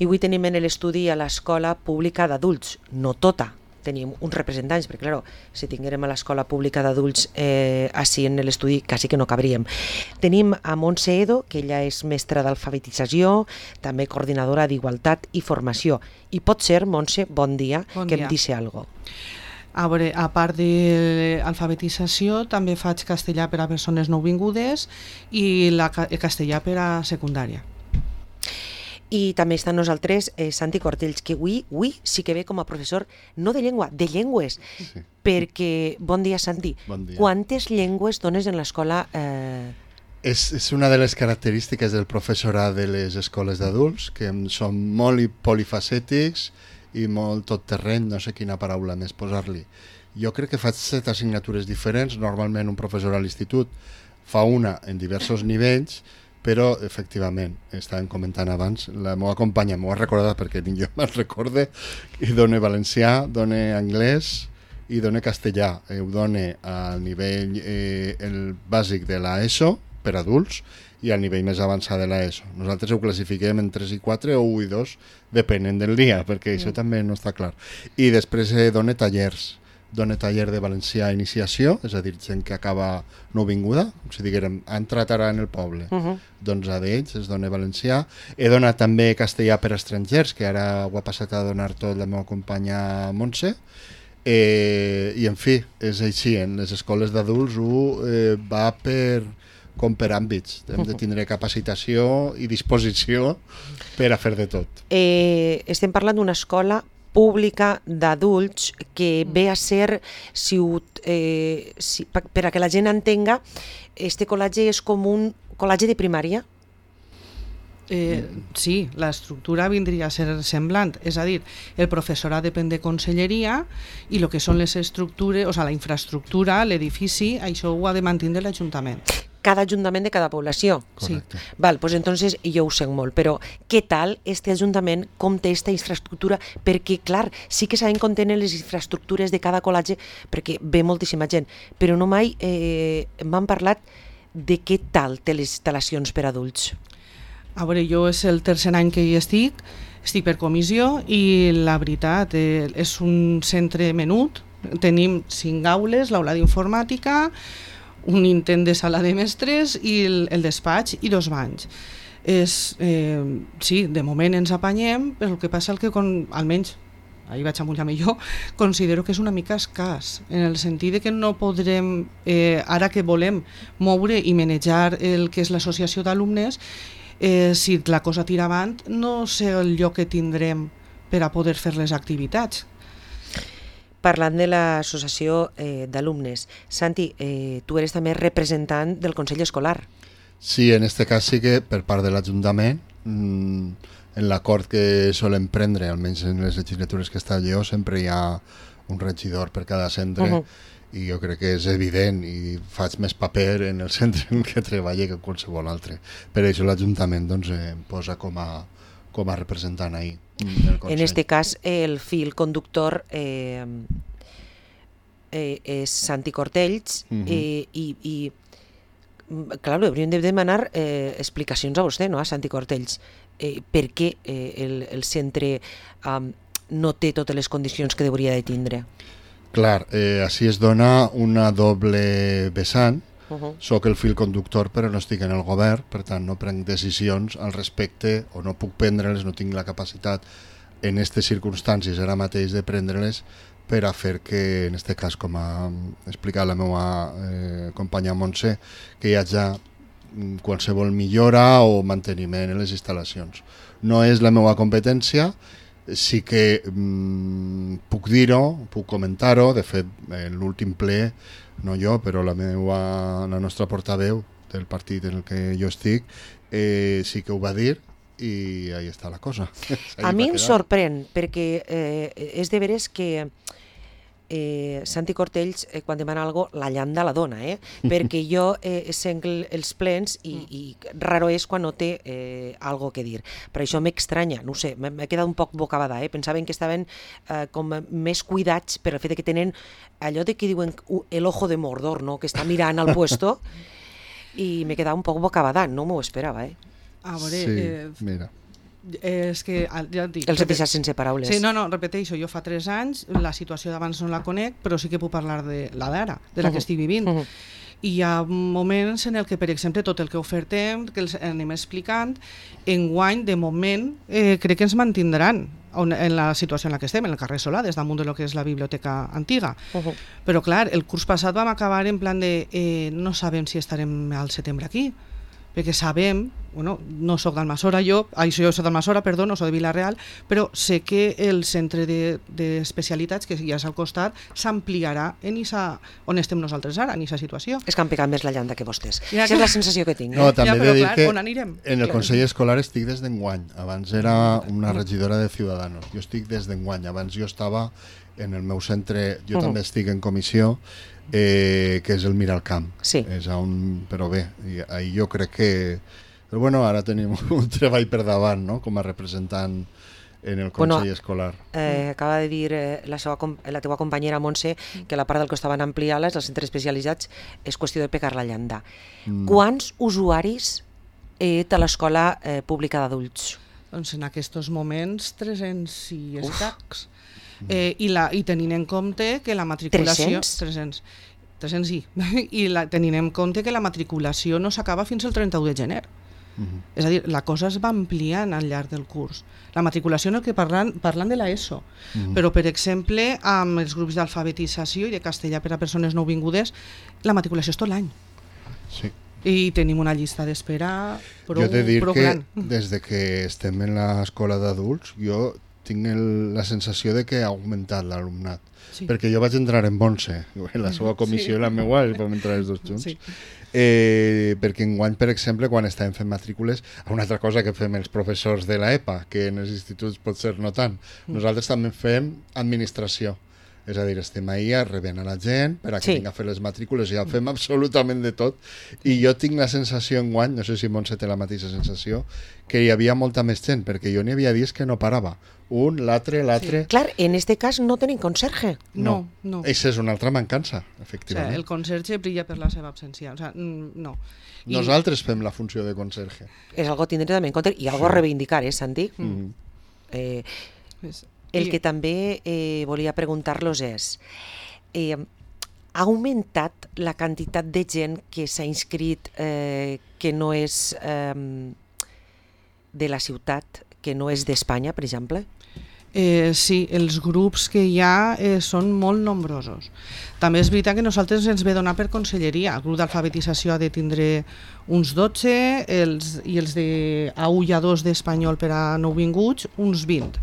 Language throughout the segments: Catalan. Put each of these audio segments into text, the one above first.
I avui tenim en l'estudi a l'escola pública d'adults, no tota. Tenim uns representants, perquè clar, si tinguérem a l'escola pública d'adults així en l'estudi quasi que no cabríem. Tenim a Montse Edo, que ella és mestra d'alfabetització, també coordinadora d'Igualtat i Formació. I pot ser, Montse, bon dia, bon que dia. em deixi alguna cosa. A veure, a part de l'alfabetització, també faig castellà per a persones nouvingudes i castellà per a secundària. I també està amb nosaltres Santi Cortells, que avui sí que ve com a professor, no de llengua, de llengües. Sí. Perquè, bon dia, Santi. Bon dia. Quantes llengües dones en l'escola? És una de les característiques del professorat de les escoles d'adults, que són molt polifacètics i molt tot terreny, no sé quina paraula més posar-li. Jo crec que faig 7 assignatures diferents, normalment un professor a l'institut fa una en diversos nivells, però efectivament, estàvem comentant abans, la meva companya m'ho ha recordat perquè ni jo me'n recorde, i dona valencià, dona anglès i dona castellà. Ho dona al nivell el bàsic de l'ESO per adults i al nivell més avançat de l'ESO. Nosaltres ho classifiquem en 3 i 4 o 1 i 2, depenent del dia, perquè això també no està clar. I després dona tallers. Dona taller de valencià iniciació, és a dir, gent que acaba nouvinguda, com si diguérem, ha entrat ara en el poble. Doncs a d'ells es dona valencià. He donat també castellà per a estrangers, que ara ho ha passat a donar tot la meva companya Montse. I en fi, és així, en les escoles d'adults va com per àmbits. Hem de tindre capacitació i disposició per a fer de tot. Estem parlant d'una escola pública d'adults que ve a ser, per a que la gent entenga, este col·legi és com un col·legi de primària? Sí, l'estructura vindria a ser semblant, és a dir, el professorat depèn de conselleria i el que són les estructures, o sigui, la infraestructura, l'edifici, això ho ha de mantenir l'Ajuntament. Cada ajuntament de cada població. Correcte. Sí. Val, pues entonces jo ho sé molt, però què tal este ajuntament, com té esta infraestructura? Perquè, clar, sí que sabem com tenen les infraestructures de cada col·legi, perquè ve moltíssima gent, però no mai m'han parlat de què tal té les instal·lacions per adults. A veure, jo és el tercer any que hi estic per comissió i la veritat és un centre menut, tenim 5 aules, l'aula d'informàtica, un intent de sala de mestres i el despatx i 2 banys. Sí, de moment ens apanyem, però el que passa és que almenys, ahir vaig amullar-me jo, considero que és una mica escàs, en el sentit que no podrem, ara que volem moure i manejar el que és l'associació d'alumnes, si la cosa tira avant, no sé el lloc que tindrem per a poder fer les activitats. Parlant de l'associació d'alumnes, Santi, tu eres també representant del Consell Escolar. Sí, en este cas sí que per part de l'Ajuntament, en l'acord que solen prendre, almenys en les legislatures que està jo, sempre hi ha un regidor per cada centre, i jo crec que és evident i faig més paper en el centre en què treballo que qualsevol altre. Per això l'Ajuntament doncs, em posa com a representant ahí. En este cas, el fil conductor és Santi Cortells i clar, hauríem de demanar explicacions a vostè, no? A Santi Cortells. Per què el centre no té totes les condicions que hauria de tindre? Clar, així es dona una doble vessant. Soc el fil conductor però no estic en el govern, per tant no prenc decisions al respecte o no puc prendre-les, no tinc la capacitat en aquestes circumstàncies ara mateix de prendre-les per a fer que, en aquest cas, com ha explicat la meva companya Montse, que hi hagi qualsevol millora o manteniment en les instal·lacions. No és la meva competència, sí que puc dir-ho, puc comentar-ho, de fet, en l'últim ple, no jo, però la nostra portaveu del partit en el que jo estic, sí que ho va dir i ahí està la cosa. A mi em sorprèn, perquè és de veres que Santi Cortells, quan demana alguna cosa, la llanda la dona, perquè jo sent els plens i raro és quan no té alguna que dir. Per això m'estranya, no sé, m'he quedat un poc bocabada, pensaven que estaven com més cuidats per el fet que tenen allò de que diuen el ojo de Mordor, no? Que està mirant al puesto, i m'he quedat un poc bocabada, no m'ho esperava. A veure, sí, mira. És que, ja et dic... Els he deixat sense paraules. Sí, no, repeteixo, jo fa 3 anys, la situació d'abans no la conec, però sí que puc parlar de la d'ara, de la que estic vivint. I hi ha moments en el que, per exemple, tot el que ofertem, que els anem explicant, enguany, de moment, crec que ens mantindran en la situació en la que estem, en el carrer Solà, des damunt de lo que és la biblioteca antiga. Però, clar, el curs passat vam acabar en plan de no sabem si estarem al setembre aquí, perquè sabem, bueno, no soc d'Almassora jo soc d'Almassora, perdó, no soc de Vila-real, però sé que el centre d'especialitats, que ja és al costat, s'ampliarà on estem nosaltres ara, en aquesta situació. És que han pegat més la llanda que vostès. Ja, Aquesta és la sensació que tinc. No, també he de dir que on anirem? En el Consell Escolar estic des d'enguany. Abans era una regidora de Ciudadanos. Jo estic des d'enguany. Abans jo estava en el meu centre, jo també estic en comissió, que és el Miralcamp. Sí. És però bé, ahir jo crec que... Però bueno, ara tenim un treball per davant, no?, com a representant en el Consell Escolar. Acaba de dir la teua companyera Montse que la part del que estaven ampliant-les, els centres especialitzats, és qüestió de pegar la llanda. Quants usuaris té l'escola pública d'adults? Doncs en aquests moments 300 i escacs. I tenint en compte que la matriculació... 300 sí. I tenint en compte que la matriculació no s'acaba fins al 31 de gener. És a dir, la cosa es va ampliant al llarg del curs. La matriculació en el que parlant de l'ESO, però per exemple amb els grups d'alfabetització i de castellà per a persones nouvingudes, la matriculació és tot l'any. Sí. I tenim una llista d'espera prou gran. Jo he de dir que des de que estem en l'escola d'adults jo tinc la sensació de que ha augmentat l'alumnat. Sí. Perquè jo vaig entrar en 11, la seva comissió i la meva, i vam entrar els dos junts. Sí. Perquè enguany, per exemple, quan estàvem fent matrícules, una altra cosa que fem els professors de l'EPA, que en els instituts pot ser no tant, nosaltres també fem administració. És a dir, estem ahir rebent a la gent per a que vinga a fer les matrícules i ja fem absolutament de tot. I jo tinc la sensació enguany, no sé si Montse té la mateixa sensació, que hi havia molta més gent, perquè jo n'hi havia dies que no parava. Un, l'altre... Sí. Clar, en este cas no tenim conserge. No. Això és una altra mancança, efectivament. O sigui, el conserge brilla per la seva absència. O sigui, no. Nosaltres fem la funció de conserge. És algo a tindre també en compte i algo a reivindicar, Santi? El que també volia preguntar-los és, ha augmentat la quantitat de gent que s'ha inscrit que no és de la ciutat, que no és d'Espanya, per exemple? Sí, els grups que hi ha són molt nombrosos. També és veritat que nosaltres ens ve donar per conselleria. El grup d'alfabetització ha de tindre uns 12 i els de A1 i A2 d'espanyol per a nouvinguts uns 20.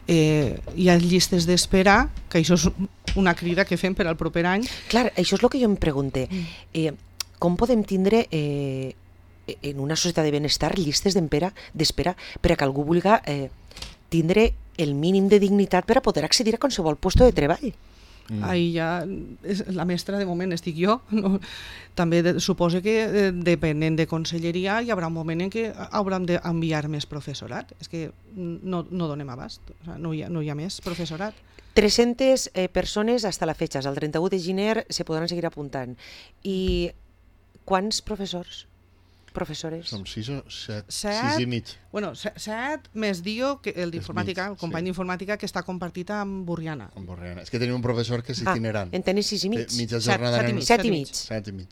Hi ha llistes d'espera, que això és una crida que fem per al proper any. Clar, això és el que jo em pregunte. Com podem tindre en una societat de benestar llistes d'espera per a que algú vulgui tindre el mínim de dignitat per a poder accedir a qualsevol lloc de treball? Ahí ja la mestra de moment estic jo. No? També suposo que depenent de conselleria hi haurà un moment en què hauran d'enviar més professorat. És que no donem abast, o sigui, no hi ha més professorat. 300 persones hasta la fecha, al 31 de gener se podran seguir apuntant. I quants professores? Som 6 o 7, 6 i mig. Bueno, 7 més Dio, el d'informàtica, el company d'informàtica que està compartit amb Borriana. Amb Borriana. És que tenim un professor que és itinerant. En tenis 6 i mig? Mitja jornada 7 i mig. 7 i mig.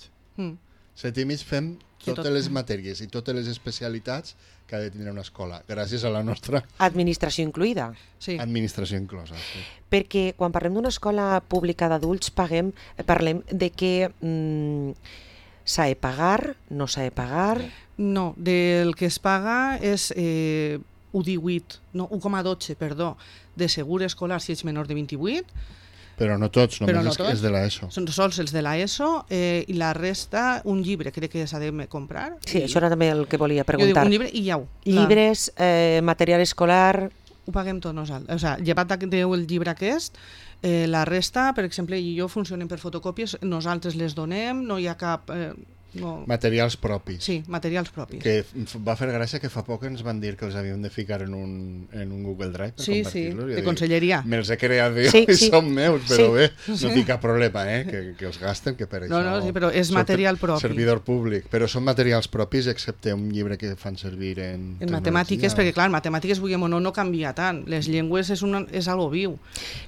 7 i mig fem totes les matèries i totes les especialitats que ha de tindre una escola, gràcies a la nostra... Administració incluïda. Sí. Administració inclosa, sí. Perquè quan parlem d'una escola pública d'adults parlem de que s'ha de pagar, no s'ha de pagar... No, del que es paga és 1,12, perdó, de segur escolar si ets menor de 28. Però no tots, només és de l'ESO. Són sols els de l'ESO i la resta, un llibre, crec que s'ha de comprar. Sí, això era també el que volia preguntar. Jo dic un llibre i iau. Llibres, material escolar... Ho paguem tot nosaltres. O sigui, llevat del llibre aquest, la resta, per exemple, jo funcionem per fotocòpies, nosaltres les donem, no hi ha cap... no. Materials propis. Sí, materials propis. Que va fer gràcia que fa poc ens van dir que els havíem de ficar en un Google Drive per compartir-los. De conselleria. Me'ls he creat jo i són meus, però bé, no tinc cap problema, que els gasten, que per això... No, sí, però és material propi. Servidor públic, però són materials propis, excepte un llibre que fan servir en matemàtiques, perquè clar, en matemàtiques, vulguem o no canvia tant. Les llengües és algo viu.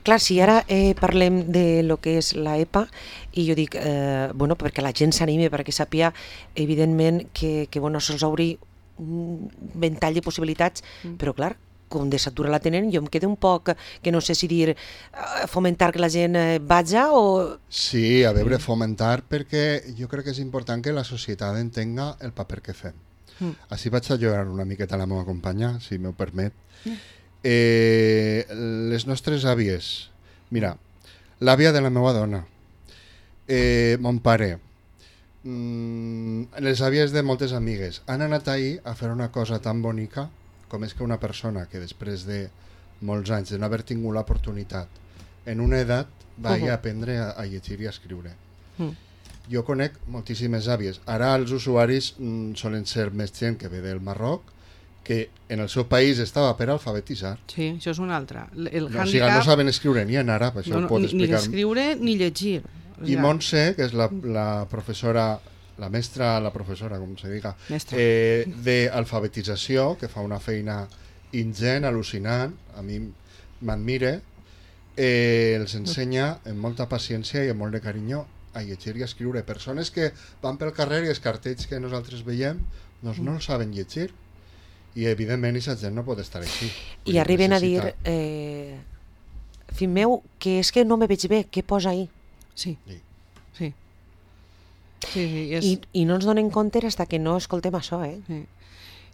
Clar, si ara parlem de lo que és la EPA, i jo dic, perquè la gent s'anime, perquè sàpiga, evidentment, que se'ls obri un ventall de possibilitats, però clar, com de s'atura la tenen, jo em quedo un poc, que no sé si dir, fomentar que la gent vaja o... Sí, a veure, fomentar, perquè jo crec que és important que la societat entenga el paper que fem. Així vaig a llorar una miqueta a la meva companya, si m'ho permet. Les nostres àvies, mira, l'àvia de la meva dona, mon pare, les àvies de moltes amigues, han anat ahir a fer una cosa tan bonica com és que una persona que després de molts anys de no haver tingut l'oportunitat en una edat vagi a aprendre a llegir i a escriure. Jo conec moltíssimes àvies. Ara els usuaris solen ser més gent que ve del Marroc, que en el seu país estava per alfabetitzar. Sí, això és una altra. O sigui, no saben escriure ni en àrab, això ho pot explicar. Ni escriure ni llegir. I Montse, que és la professora, la mestra, la professora, com se diga, d'alfabetització, que fa una feina ingent, al·lucinant, a mi m'admira, els ensenya amb molta paciència i amb molt de carinyo a llegir i a escriure. Persones que van pel carrer i els cartells que nosaltres veiem doncs no el saben llegir, i evidentment aquesta gent no pot estar així. I arriben a dir, fill meu, que és que no me veig bé, què posa ahí? Sí. I no ens donen compte fins que no escoltem això, Sí.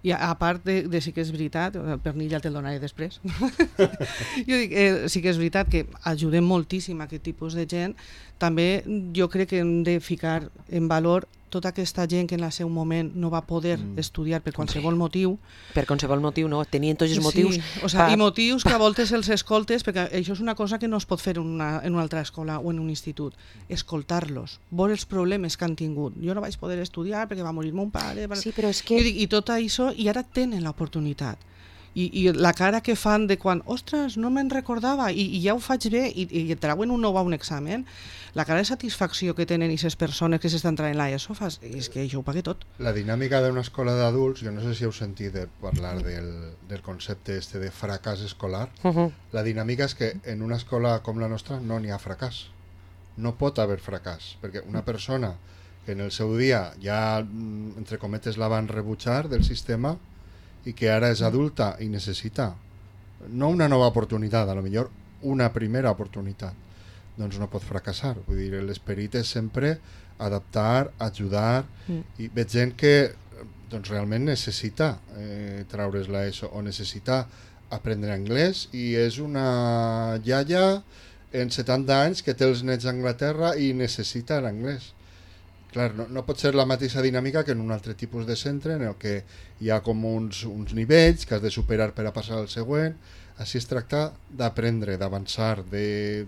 I a part de sí que és veritat, el pernil ja te'l donaré després, jo dic, sí que és veritat que ajudem moltíssim a aquest tipus de gent. També jo crec que hem de ficar en valor tota aquesta gent que en el seu moment no va poder estudiar per qualsevol motiu. Per qualsevol motiu, no? Tenien tots els motius. I motius que a voltes els escoltes, perquè això és una cosa que no es pot fer en una altra escola o en un institut. Escoltar-los, veure els problemes que han tingut. Jo no vaig poder estudiar perquè va morir mon pare. Sí, però és que... I tot això, i ara tenen l'oportunitat. I la cara que fan de quan, ostres, no me'n recordava, i ja ho faig bé, i trauen un nou a un examen, la cara de satisfacció que tenen aquestes persones que s'estan traient l'ESO, és que això ho paga tot. La dinàmica d'una escola d'adults, jo no sé si heu sentit parlar del concepte de fracàs escolar. La dinàmica és que en una escola com la nostra no n'hi ha fracàs. No pot haver fracàs, perquè una persona que en el seu dia ja, entre cometes, la van rebutjar del sistema, i que ara és adulta i necessita no una nova oportunitat, a lo millor una primera oportunitat, doncs no pot fracassar. Vull dir, l'esperit és sempre adaptar, ajudar, i veig gent que doncs realment necessita traure's l'ESO o necessita aprendre anglès, i és una iaia en 70 anys que té els nets a Anglaterra i necessita l'anglès. Clar, no pot ser la mateixa dinàmica que en un altre tipus de centre en el que hi ha com uns nivells que has de superar per a passar al següent. Així es tracta d'aprendre, d'avançar, de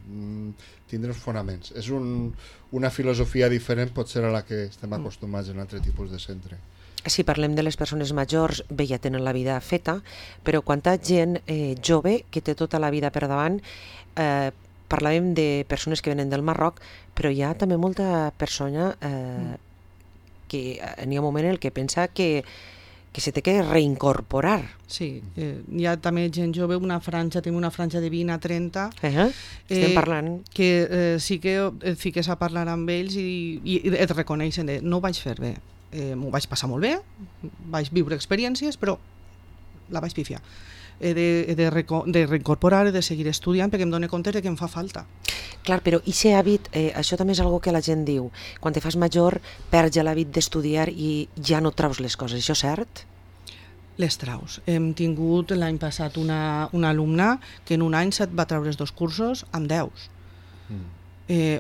tindre els fonaments. És una filosofia diferent potser a la que estem acostumats en un altre tipus de centre. Si parlem de les persones majors, bé, ja tenen la vida feta, però quanta gent jove que té tota la vida per davant. Parlàvem de persones que venen del Marroc, però hi ha també molta persona que n'hi ha un moment en què pensa que se té que reincorporar. Sí, hi ha també gent jove, tenim una franja de 20 a 30, estem parlant, que sí que et fiques a parlar amb ells i et reconeixen de no ho vaig fer bé, m'ho vaig passar molt bé, vaig viure experiències, però la vaig pifiar. De reincorporar, de seguir estudiant, perquè em dono compte que em fa falta. Clar, però aquest hàbit, això també és una cosa que la gent diu, quan te fas major perds ja l'hàbit d'estudiar i ja no traus les coses, això és cert? Les traus. Hem tingut l'any passat una alumna que en un any va treure els 2 cursos amb 10.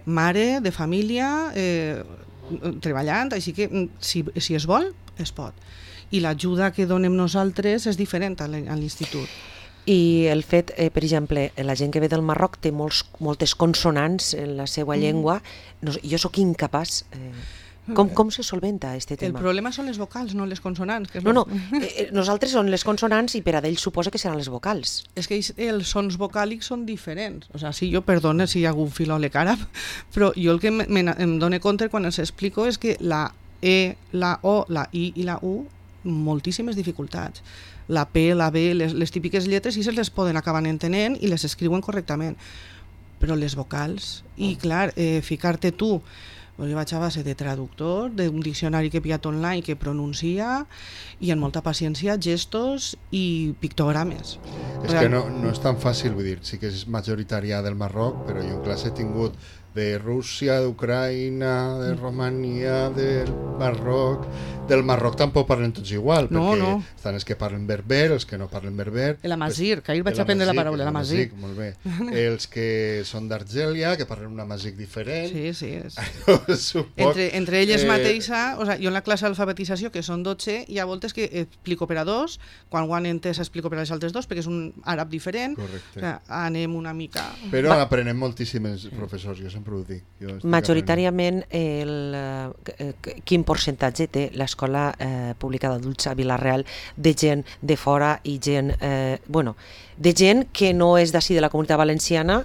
Mare, de família, treballant, així que si es vol, es pot. I l'ajuda que donem nosaltres és diferent a l'institut. I el fet, per exemple, la gent que ve del Marroc té moltes consonants en la seva llengua. Jo sóc incapaç. Com se solventa este El tema? problema són les vocals, no les consonants. Que és No, nosaltres són les consonants i per a d'ells suposa que seran les vocals. És que els sons vocàlics són diferents. O sigui, jo perdone si hi ha algun filòleg àrab, però jo el que em dono compte quan els explico és que la E, la O, la I i la U, moltíssimes dificultats. La P, la B, les típiques lletres, sí se les poden acabar entenent i les escriuen correctament. Però les vocals, i clar, ficar-te tu, jo vaig a base de traductor, d'un diccionari que he pillat online que pronuncia, i amb molta paciència, gestos i pictogrames. És que no és tan fàcil, vull dir, sí que és majoritària del Marroc, però jo en classe he tingut de Rússia, d'Ucraïna, de Romania, del Marroc tampoc parlen tots igual, perquè estan els que parlen berber, els que no parlen berber. L'amazigh, que ahir vaig aprendre la paraula, l'amazigh. Molt bé. Els que són d'Argèlia, que parlen un amazigh diferent. Sí. Entre elles mateixa, o sigui, jo en la classe d'alfabetització, que són 12, hi ha voltes que explico per a dos, quan ho han entès explico per a les altres dos, perquè és un àrab diferent. Correcte. O sigui, anem una mica... Però aprenem moltíssims professors, jo sempre ho dic. Majoritàriament, quin percentatge té l'escola pública d'adults a Vila-real de gent de fora i gent, de gent que no és d'ací de la Comunitat Valenciana?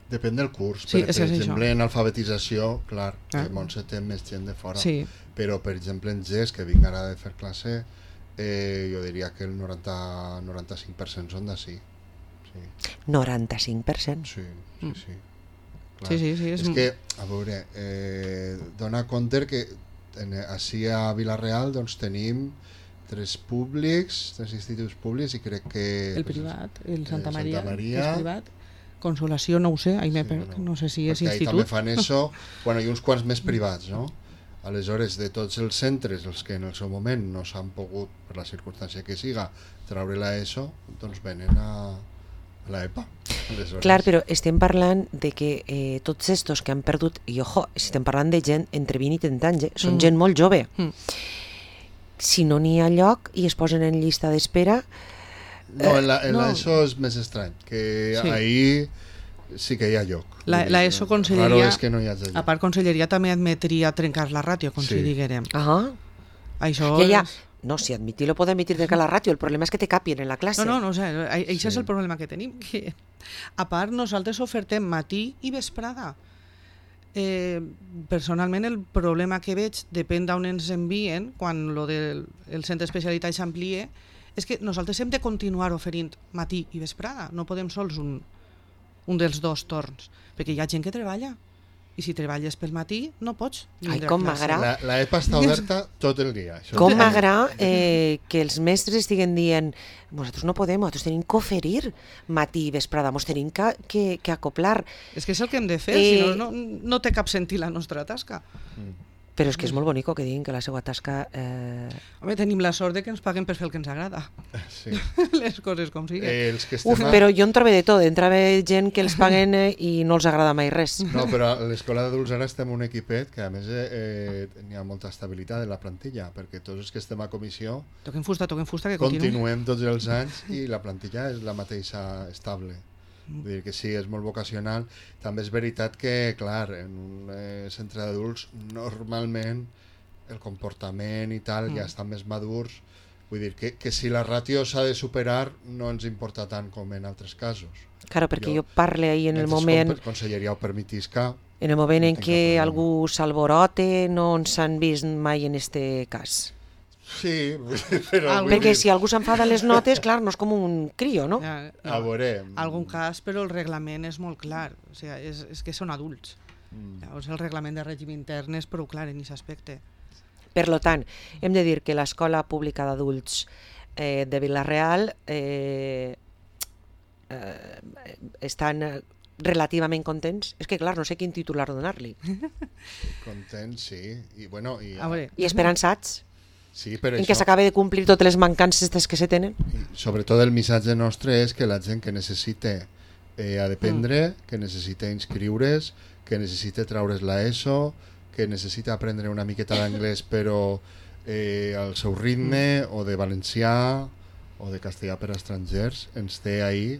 Depèn del curs. Sí, per exemple, en alfabetització, clar, Montse té més gent de fora. Sí. Però, per exemple, en GES, que vinc ara de fer classe, jo diria que el 90-95% són d'ací. Sí. 95%? Sí. Clar. Sí. És que, a veure, dona compte que així a Vila-real doncs, tenim 3 instituts públics i crec que... El privat, el Santa Maria. És privat. Consolació, no ho sé, no sé si és institut. També fan això, i uns quants més privats, no? Aleshores, de tots els centres, els que en el seu moment no s'han pogut, per la circumstància que siga, treure l'ESO, doncs venen a l'EPA. Clar, però estem parlant de que tots estos que han perdut, i ojo, estem parlant de gent entre 20 i 30 anys, són gent molt jove. Si no n'hi ha lloc i es posen en llista d'espera... No, en l'ESO és més estrany, que ahir sí que hi ha lloc. L'ESO Conselleria, és que no hi ha lloc. A part Conselleria també admetria trencar la ràtio, com si diguérem. Això no, si admitir-lo pot admitir trencar la ràtio, el problema és que te capien en la classe. Això és el problema que tenim, que a part nosaltres ofertem matí i vesprada. Personalment el problema que veig, depèn d'on ens envien, quan el centre d'especialitat s'amplie, és que nosaltres hem de continuar oferint matí i vesprada, no podem sols un dels dos torns, perquè hi ha gent que treballa, i si treballes pel matí no pots vindre a classe. L'EPA està oberta tot el dia. Com m'agrada que els mestres estiguen dient nosaltres no podem, nosaltres tenim que oferir matí i vesprada, ens tenim que acoplar. És que és el que hem de fer, si no té cap sentit la nostra tasca. Però és que és molt bonic que diguin que la seva tasca... Home, tenim la sort que ens paguen per fer el que ens agrada. Sí. Les coses com siguin. Però jo en trobo de tot. En trobo gent que els paguen i no els agrada mai res. No, però a l'escola d'adults ara estem un equipet que a més hi ha molta estabilitat en la plantilla, perquè tots els que estem a comissió toquem fusta, que continuem tots els anys i la plantilla és la mateixa estable. Vull dir que sí, és molt vocacional. També és veritat que, clar, en un centre d'adults normalment el comportament i tal ja estan més madurs. Vull dir que si la ràtio s'ha de superar no ens importa tant com en altres casos. Claro, perquè jo parle ahir en el moment... Conselleria ho permetisca. En el moment en què algú s'alborote no ens han vist mai en este cas. Sí, però... Perquè si algú s'enfada les notes, clar, no és com un crio, no? A veurem. Algun cas, però el reglament és molt clar. O sigui, és que són adults. Llavors el reglament de règim intern és prou clar en aquest aspecte. Per tant, hem de dir que l'escola pública d'adults de Vila-real estan relativament contents. És que, clar, no sé quin titular donar-li. Contents, sí. I esperançats. Sí, per en què s'acaba de complir totes les mancances que se tenen. Sobretot el missatge nostre és que la gent que necessita aprendre, que necessita inscriure's, que necessita treure's l'ESO, que necessita aprendre una miqueta d'anglès però al seu ritme, o de valencià o de castellà per a estrangers, ens té ahí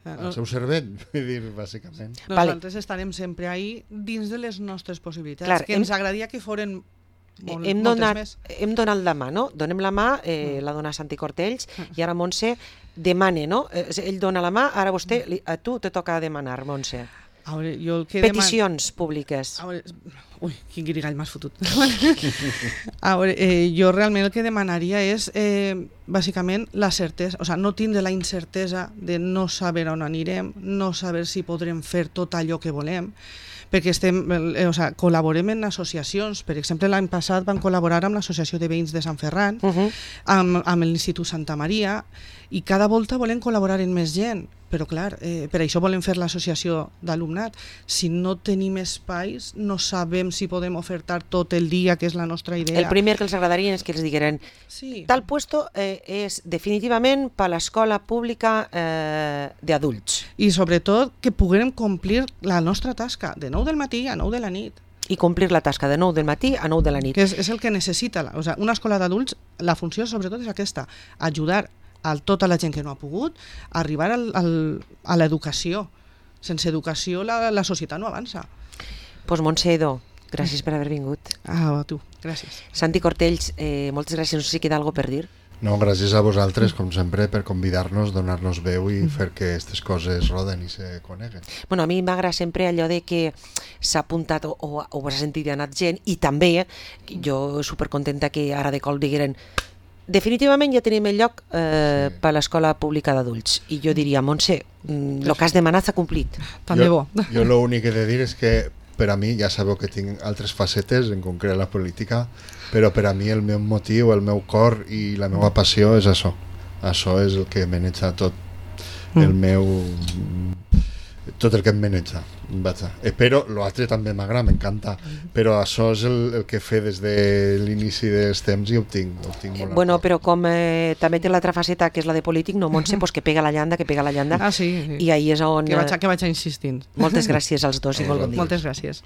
al seu cervell, vull dir, bàsicament. Nosaltres estarem sempre ahí dins de les nostres possibilitats, Clar, que ens agradaria que foren hem moltes més. donat la mà, no? Donem la mà, la dona Santi Cortells, i ara Montse demana, no? Ell dona la mà, ara a tu te toca demanar, Montse. A veure, jo el que Peticions públiques. A veure, ui, quin guirigall m'has fotut. A veure, jo realment el que demanaria és, bàsicament, la certesa, o sigui, no tindre la incertesa de no saber on anirem, no saber si podrem fer tot allò que volem, perquè col·laborem en associacions. Per exemple, l'any passat vam col·laborar amb l'Associació de Veïns de Sant Ferran, amb l'Institut Santa Maria, i cada volta volem col·laborar amb més gent, però clar, per això volem fer l'associació d'alumnat. Si no tenim espais, no sabem si podem ofertar tot el dia, que és la nostra idea. El primer que els agradaria és que els digueren tal puesto és definitivament per a l'escola pública d'adults. I sobretot que puguem complir la nostra tasca de 9 del matí a 9 de la nit. I complir la tasca de 9 del matí a 9 de la nit. Que és el que necessita. Una escola d'adults, la funció sobretot és aquesta, ajudar a tota la gent que no ha pogut arribar a l'educació. Sense educació la societat no avança. Doncs Montse Edo, gràcies per haver vingut. A tu, gràcies. Santi Cortells, moltes gràcies. No sé si queda alguna per dir. No, gràcies a vosaltres, com sempre, per convidar-nos, donar-nos veu i fer que aquestes coses roden i se coneguen. Bueno, a mi m'agrada sempre allò de que s'ha apuntat o ho has sentit i ha anat gent, i també, jo supercontenta que ara de cop digueren definitivament ja tenim el lloc per a l'escola pública d'adults. I jo diria, Montse, el que has demanat s'ha complit. També bo. Jo l'únic que he de dir és que per a mi, ja sabeu que tinc altres facetes, en concret la política, però per a mi el meu motiu, el meu cor i la meva passió és això. Això és el que maneja tot el meu... tot el que em maneja. Però l'altre també m'agrada, m'encanta, però això és el que he des de l'inici dels temps i ho tinc molt. Bueno, però com també té l'altra faceta, que és la de polític, no, Montse, pues que pega la llanda. Ah, sí. I ahí és on... Que vaig insistint. Moltes gràcies als dos i molt bon dia. Moltes gràcies.